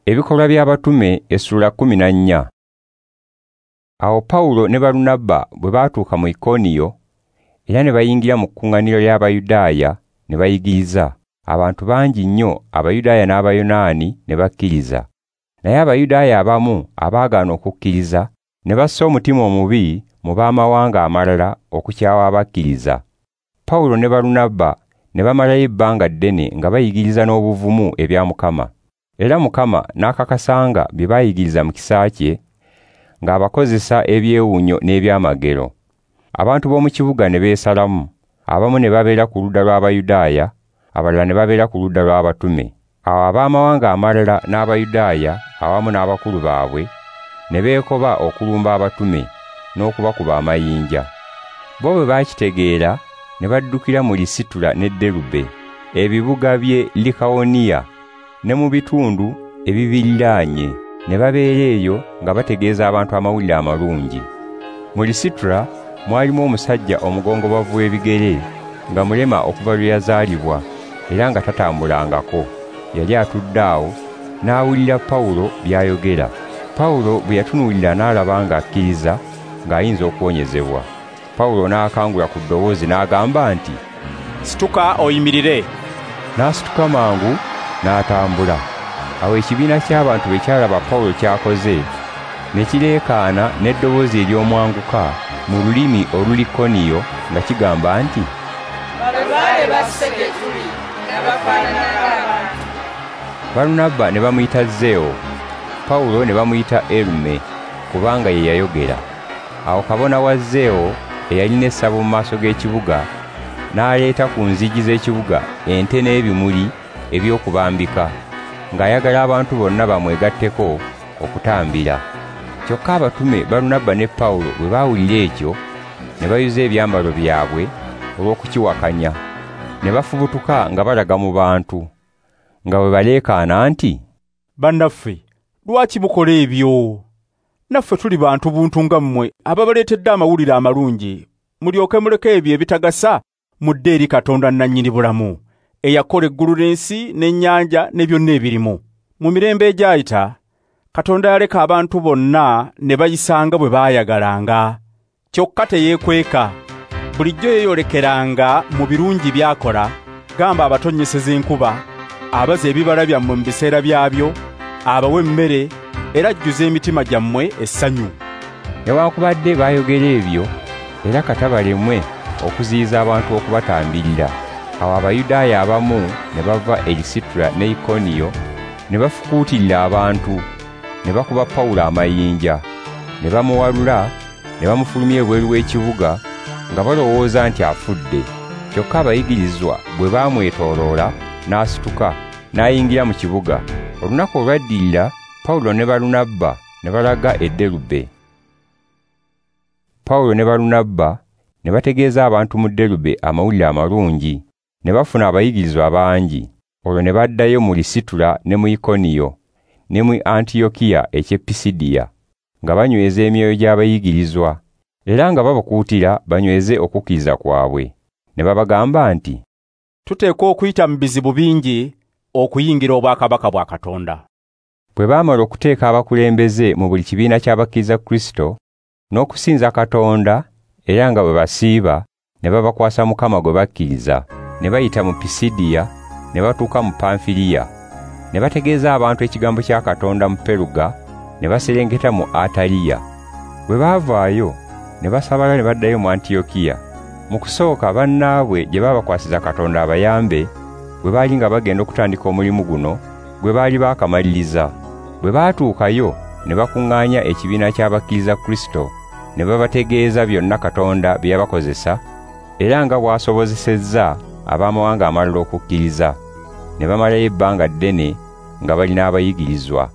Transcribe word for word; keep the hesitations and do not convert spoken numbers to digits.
Ebikolwa by'Abatume essula kkumi na nnya. Awo Pawulo ne Balunabba bwe baatuuka mu Ikoniyo era ne bayingira mu kkuŋŋaaniro ly'Abayudaaya ne bayigiriza. Abantu bangi nnyo Abayudaaya n'Abayonaani ne bakkiriza. Naye Abayudaaya abamu abaagaana okukkiriza ne bassa omutima omubi mu b'amawanga amalala okukyawa abakkiriza. Pawulo ne Balunabba ne bamalayo ebbanga ddene nga bayigiriza n'obuvumu ebya Mukama. Era Mukama n'akakasanga bye bayigiriza mu kisa kye ng'abakozesa ebyewuunyo n'ebyamagero. Abantu b'omu kibuga ne beesalamu, abamu ne babeera ku ludda lw'Abayudaaya, abalala ne babeera ku ludda lw'abatume. Awo ab'amawanga amalala n'Abayudaaya awamu n'abakulu baabwe ne beekoba okulumba abatume n'okubakuba amayinja. Bo bwe baakitegeera ne baddukira mu Lisitula ne Derube, ebibuga by'e Likawoniya, ne mu bitundu ebibiriraanye, ne babeera eyo nga bategeeza abantu amawulire amalungi. Mu Lisitula mwalimu omusajja omugongobavu w'ebigere nga mulema okuva lwe yazaalibwa era nga tatambulangako. Yali atudde awo n'awulira Pawulo by'ayogera. Pawulo bwe yatunuulira n'alaba ng'akkiriza ng'ayinza okuwonyezebwa. Pawulo n'akangula ku ddoboozi n'agamba nti, "Situka oyimirire." N'asituka mangu n'atambula. Awo ekibiina ky'abantu bwe kyalaba Pawulo ky'akoze, ne kireekaana n'eddoboozi ery'omwanguka mu lulimi Olulikoniyo nga kigamba nti, "Balubaale basse gye tuli nga bafaanana ng'abantu." Balunabba ne bamuyita Zewo, Pawulo ne bamuyita Erume, kubanga ye yayogera. Awo kabona wa Zewo eyalina essabo mu maaso g'ekibuga n'aleeta ku nzigi z'ekibuga ente n'ebimuli eby'okubambika, ng'ayagala abantu bonna bamwegatteko okutambira. Kyokka abatume Balunabba ne Pawulo bwe baawulira ekyo ne bayuza ebyambalo byabwe olw'okukiwakanya, ne bafubutuka nga balaga mu bantu, nga bwe baleekaana nti, "Bannaffe, lwaki mukola ebyo? Naffe tuli bantu buntu nga mmwe ababaleetedde amawulire amalungi, mulyoke muleke ebyo ebitagasa mudde eri Katonda nnannyini bulamu, eyakola eggulu n'ensi n'ennyanja ne byonna ebirimu. Mu mirembe egyayita, Katonda yaleka abantu bonna ne bayisanga bwe baayagalanga. Kyokka teyeekweka, bulijjo yeeyolekeranga mu birungi by'akola, gamba abatonnyeseza enkuba, abaza ebibala byammwe mu biseera byabyo, abawa emmere, era ajjuza emitima gyammwe essanyu." Newaakubadde baayogera ebyo, era kata balemwe okuziyiza abantu okubatambirira. Awo Abayudaaya abamu ne bava e Lisitula ne Ikoniyo ne bafukuutirira abantu, ne bakuba Pawulo amayinja, ne bamuwalula, ne bamufulumya ebweru w'ekibuga nga balowooza nti afudde. Kyokka abayigirizwa bwe baamwetooloola n'asituka n'ayingira mu kibuga. Olunaku olwaddirira Pawulo ne Balunabba ne balaga e Derube. Pawulo ne Balunabba ne bategeeza abantu mu Derube amawulire amalungi, ne bafuna abayigirizwa bangi. Olwo ne baddayo mu Lisitula ne mu Ikoniyo ne mu Antiyokiya eky'e Pisidiya, nga banyweza emyoyo gy'abayigirizwa era nga babakuutira banyweze okukkiriza kwabwe. Ne babagamba nti, "Tuteekwa okuyita mu bizibu bingi okuyingira obwakabaka bwa Katonda." Bwe baamala okuteeka abakulembeze mu buli kibiina ky'abakkiriza Kristo n'okusinza Katonda era nga bwe basiiba, ne babakwasa Mukama gwe bakkiriza. Ne bayita mu Pisidiya ne batuuka mu Panfiriya, ne bategeeza abantu ekigambo kya Katonda mu Peruga, ne baserengeta mu Ataliya. Bwe baavaayo ne basabala ne baddayo mu Antiyokiya. Mu kusooka bannaabwe gye baabakwasiza Katonda abayambe, bwe baali nga bagenda okutandika omulimu guno gwe baali baakamaliriza. Bwe baatuukayo ne bakuŋŋaanya ekibiina ky'abakkiriza Kristo, ne babategeeza byonna Katonda bye yabakozesa era nga bw'asobozesezza ab'amawanga amalala okukkiriza. Ne bamalayo ebbanga ddene nga balina abayigirizwa.